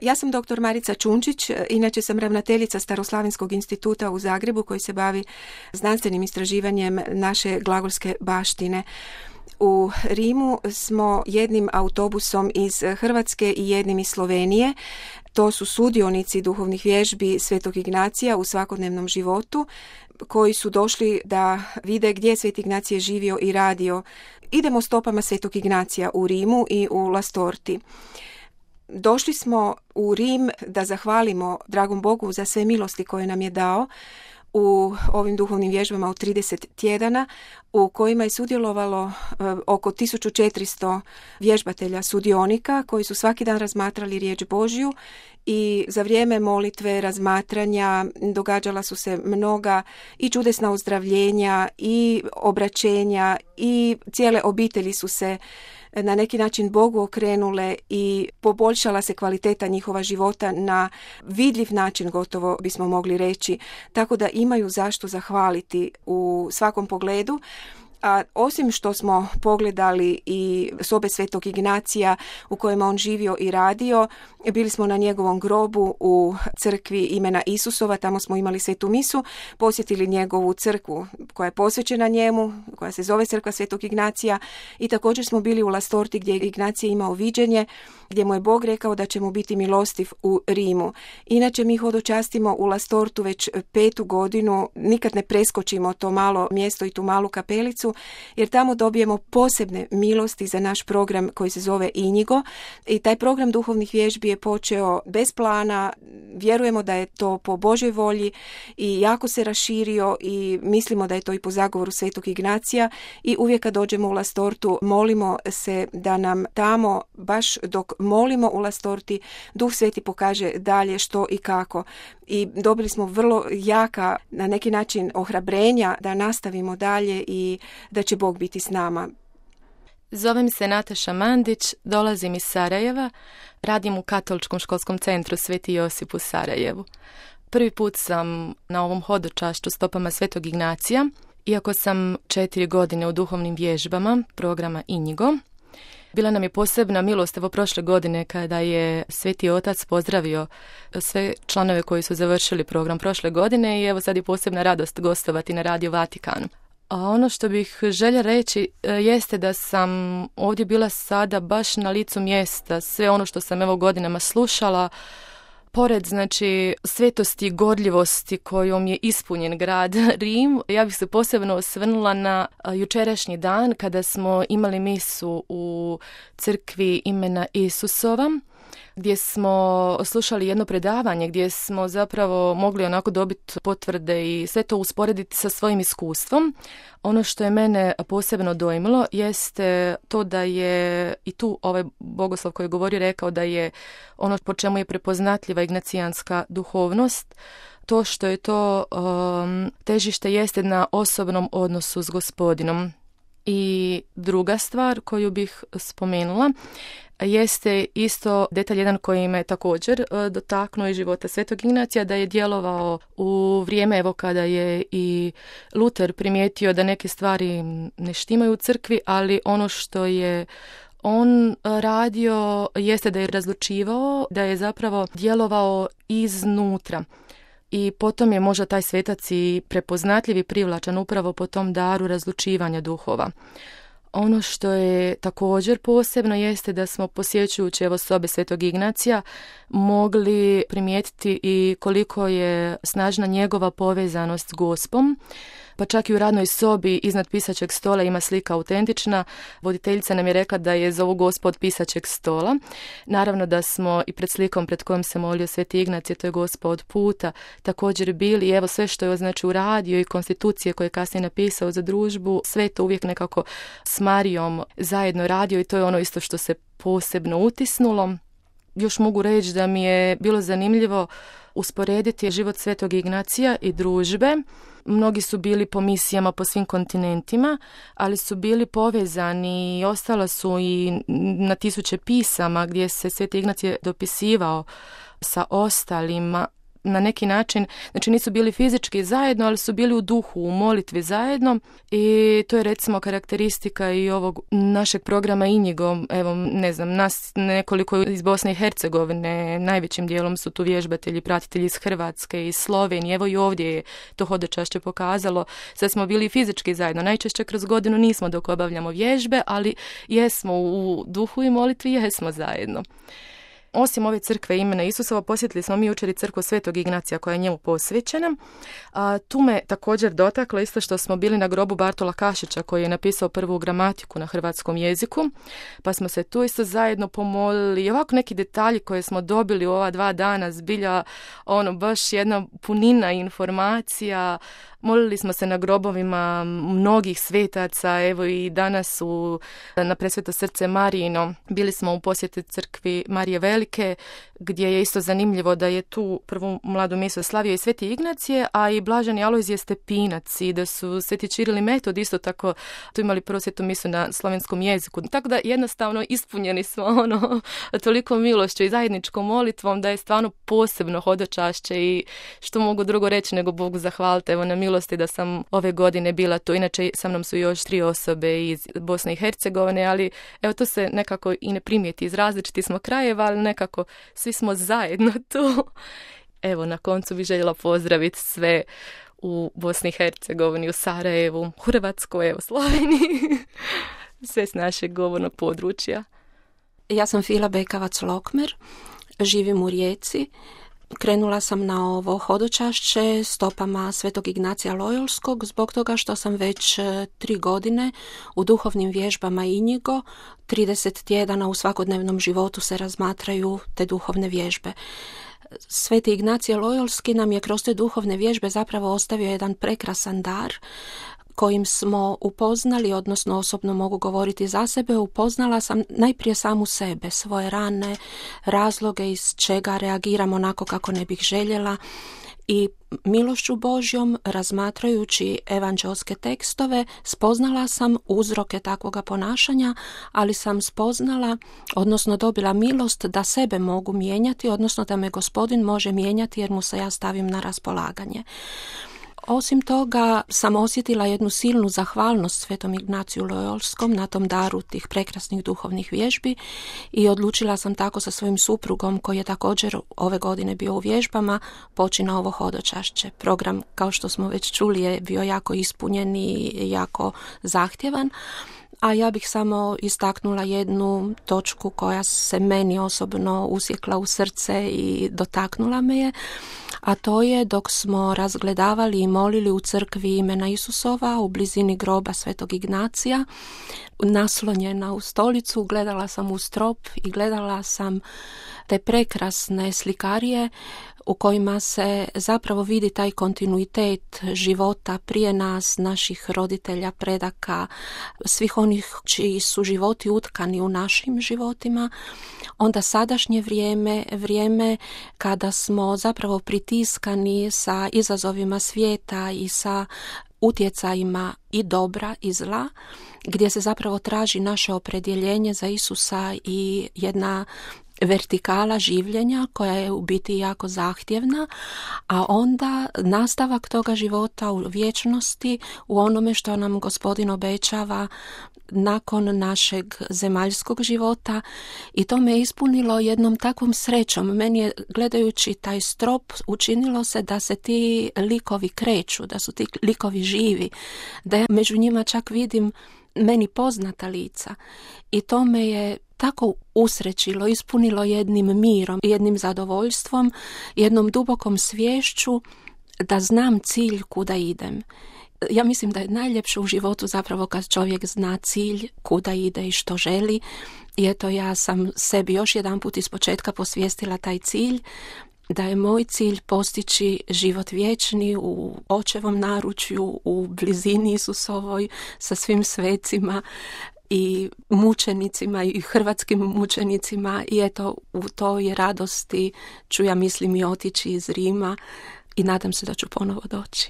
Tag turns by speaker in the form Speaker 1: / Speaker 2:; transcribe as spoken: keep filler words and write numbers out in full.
Speaker 1: Ja sam doktor Marica Čunčić, inače sam ravnateljica Staroslavenskog instituta u Zagrebu koji se bavi znanstvenim istraživanjem naše glagolske baštine. U Rimu smo jednim autobusom iz Hrvatske i jednim iz Slovenije. To su sudionici duhovnih vježbi Svetog Ignacija u svakodnevnom životu koji su došli da vide gdje je Sveti Ignacije živio i radio. Idemo stopama Svetog Ignacija u Rimu i u Lastorti. Došli smo u Rim da zahvalimo dragom Bogu za sve milosti koje nam je dao u ovim duhovnim vježbama u trideset tjedana u kojima je sudjelovalo e, oko tisuću četiristo vježbatelja sudionika koji su svaki dan razmatrali riječ Božju i za vrijeme molitve, razmatranja događala su se mnoga i čudesna ozdravljenja i obraćenja i cijele obitelji su se na neki način Bogu okrenule i poboljšala se kvaliteta njihova života na vidljiv način, gotovo bismo mogli reći, tako da imaju zašto zahvaliti u svakom pogledu. A osim što smo pogledali i sobe Svetog Ignacija u kojima on živio i radio, bili smo na njegovom grobu u crkvi imena Isusova, tamo smo imali svetu misu, posjetili njegovu crkvu koja je posvećena njemu, koja se zove Crkva Svetog Ignacija i također smo bili u Lastorti gdje je Ignacije imao viđenje, gdje mu je Bog rekao da će mu biti milostiv u Rimu. Inače mi hodočastimo u Lastortu već petu godinu, nikad ne preskočimo to malo mjesto i tu malu kapelicu, jer tamo dobijemo posebne milosti za naš program koji se zove Inigo i taj program duhovnih vježbi je počeo bez plana, vjerujemo da je to po Božoj volji i jako se raširio i mislimo da je to i po zagovoru Svetog Ignacija i uvijek kad dođemo u Lastortu molimo se da nam tamo, baš dok molimo u Lastorti, Duh Sveti pokaže dalje što i kako. I dobili smo vrlo jaka, na neki način, ohrabrenja da nastavimo dalje i da će Bog biti s nama.
Speaker 2: Zovem se Nataša Mandić, dolazim iz Sarajeva, radim u Katoličkom školskom centru Sveti Josip u Sarajevu. Prvi put sam na ovom hodočašću stopama Svetog Ignacija, iako sam četiri godine u duhovnim vježbama programa Inigo. Bila nam je posebna milost evo prošle godine kada je Sveti Otac pozdravio sve članove koji su završili program prošle godine i evo sad je posebna radost gostovati na Radio Vatikanu. A ono što bih željela reći jeste da sam ovdje bila sada baš na licu mjesta. Sve ono što sam evo godinama slušala, pored znači svetosti i gorljivosti kojom je ispunjen grad Rim, ja bih se posebno osvrnula na jučerašnji dan kada smo imali misu u crkvi imena Isusova, gdje smo slušali jedno predavanje gdje smo zapravo mogli onako dobiti potvrde i sve to usporediti sa svojim iskustvom. Ono što je mene posebno dojmilo jeste to da je i tu ovaj bogoslov koji govori rekao da je ono po čemu je prepoznatljiva ignacijanska duhovnost, to što je to um, težište jeste na osobnom odnosu s Gospodinom. I druga stvar koju bih spomenula jeste isto detalj jedan koji me također dotaknuo iz života Svetog Ignacija, da je djelovao u vrijeme evo kada je i Luter primijetio da neke stvari ne štimaju u crkvi, ali ono što je on radio jeste da je razlučivao, da je zapravo djelovao iznutra. I potom je možda taj svetac i prepoznatljiv i privlačan upravo po tom daru razlučivanja duhova. Ono što je također posebno jeste da smo posjećujući evo sobe Svetog Ignacija mogli primijetiti i koliko je snažna njegova povezanost s Gospom. Pa čak i u radnoj sobi iznad pisaćeg stola ima slika autentična. Voditeljica nam je rekla da je zovu Gospa od pisaćeg stola. Naravno da smo i pred slikom pred kojom se molio Sveti Ignacije, to je Gospa od puta, također bili. I evo sve što je znači uradio i konstitucije koje je kasnije napisao za družbu, sve to uvijek nekako s Marijom zajedno radio i to je ono isto što se posebno utisnulo. Još mogu reći da mi je bilo zanimljivo usporediti život Svetog Ignacija i družbe. Mnogi su bili po misijama po svim kontinentima, ali su bili povezani i ostala su i na tisuće pisama gdje se Sveti Ignacije dopisivao sa ostalima. na neki način, znači nisu bili fizički zajedno, ali su bili u duhu, u molitvi zajedno i to je recimo karakteristika i ovog našeg programa Injigo. Evo, ne znam, nas nekoliko iz Bosne i Hercegovine, najvećim dijelom su tu vježbatelji, pratitelji iz Hrvatske, iz Slovenije, evo i ovdje je to hodočašće pokazalo. Sad smo bili fizički zajedno, najčešće kroz godinu nismo dok obavljamo vježbe, ali jesmo u duhu i molitvi, jesmo zajedno. Osim ove crkve imena Isusova, posjetili smo mi jučer i crkvu Svetog Ignacija koja je njemu posvećena. A, tu me također dotaklo isto što smo bili na grobu Bartola Kašića koji je napisao prvu gramatiku na hrvatskom jeziku, pa smo se tu isto zajedno pomolili i ovako neki detalji koje smo dobili u ova dva dana, zbilja ono baš jedna punina informacija. Molili smo se na grobovima mnogih svetaca, evo i danas u, na Presveto srce Marijino bili smo u posjeti crkvi Marije Velike, gdje je isto zanimljivo da je tu prvu mladu misu slavio i Sveti Ignacije, a i Blaženi Alojzije Stepinac i da su Sveti Čiril i Metod isto tako tu imali prvu svetu misu na slovenskom jeziku. Tako da jednostavno ispunjeni smo ono toliko milošću i zajedničkom molitvom da je stvarno posebno hodočašće i što mogu drugo reći nego Bogu zahvalite evo na milosti da sam ove godine bila tu. Inače sa mnom su još tri osobe iz Bosne i Hercegovine, ali evo to se nekako i ne primijeti, iz različitih smo krajeva, ali nekako svi smo zajedno tu. Evo na koncu bih željela pozdraviti sve u Bosni i Hercegovini, u Sarajevu, u Hrvatskoj, evo Sloveniji, sve s našeg govornog područja.
Speaker 3: Ja sam Fila Bekavac-Lokmer, živim u Rijeci. Krenula sam na ovo hodočašće stopama Svetog Ignacija Lojolskog zbog toga što sam već tri godine u duhovnim vježbama Injigo. trideset tjedana u svakodnevnom životu se razmatraju te duhovne vježbe. Sveti Ignacije Lojolski nam je kroz te duhovne vježbe zapravo ostavio jedan prekrasan dar kojim smo upoznali, odnosno osobno mogu govoriti za sebe, upoznala sam najprije samu sebe, svoje rane, razloge iz čega reagiram onako kako ne bih željela i milošću Božjom, razmatrajući evanđelske tekstove, spoznala sam uzroke takvoga ponašanja, ali sam spoznala, odnosno dobila milost da sebe mogu mijenjati, odnosno da me Gospodin može mijenjati jer mu se ja stavim na raspolaganje. Osim toga sam osjetila jednu silnu zahvalnost Svetom Ignaciju Lojolskom na tom daru tih prekrasnih duhovnih vježbi i odlučila sam tako sa svojim suprugom koji je također ove godine bio u vježbama poći na ovo hodočašće. Program, kao što smo već čuli, je bio jako ispunjen i jako zahtjevan. A ja bih samo istaknula jednu točku koja se meni osobno usjekla u srce i dotaknula me je, a to je dok smo razgledavali i molili u crkvi imena Isusova u blizini groba Svetog Ignacija, naslonjena u stolicu, gledala sam u strop i gledala sam te prekrasne slikarije u kojima se zapravo vidi taj kontinuitet života prije nas, naših roditelja, predaka, svih onih čiji su životi utkani u našim životima. Onda sadašnje vrijeme, vrijeme kada smo zapravo pritiskani sa izazovima svijeta i sa utjecajima i dobra i zla, gdje se zapravo traži naše opredjeljenje za Isusa i jedna vertikala življenja koja je u biti jako zahtjevna, a onda nastavak toga života u vječnosti, u onome što nam Gospodin obećava nakon našeg zemaljskog života, i to me ispunilo jednom takvom srećom. Meni je, gledajući taj strop, učinilo se da se ti likovi kreću, da su ti likovi živi, da ja među njima čak vidim meni poznata lica, i to me je tako usrećilo, ispunilo jednim mirom, jednim zadovoljstvom, jednom dubokom sviješću da znam cilj kuda idem. Ja mislim da je najljepše u životu zapravo kad čovjek zna cilj kuda ide i što želi. I eto, ja sam sebi još jedan put ispočetka posvijestila taj cilj, da je moj cilj postići život vječni u očevom naručju, u blizini Isusovoj sa svim svecima i mučenicima i hrvatskim mučenicima, i eto, u toj radosti ću, ja mislim, i otići iz Rima i nadam se da ću ponovo doći.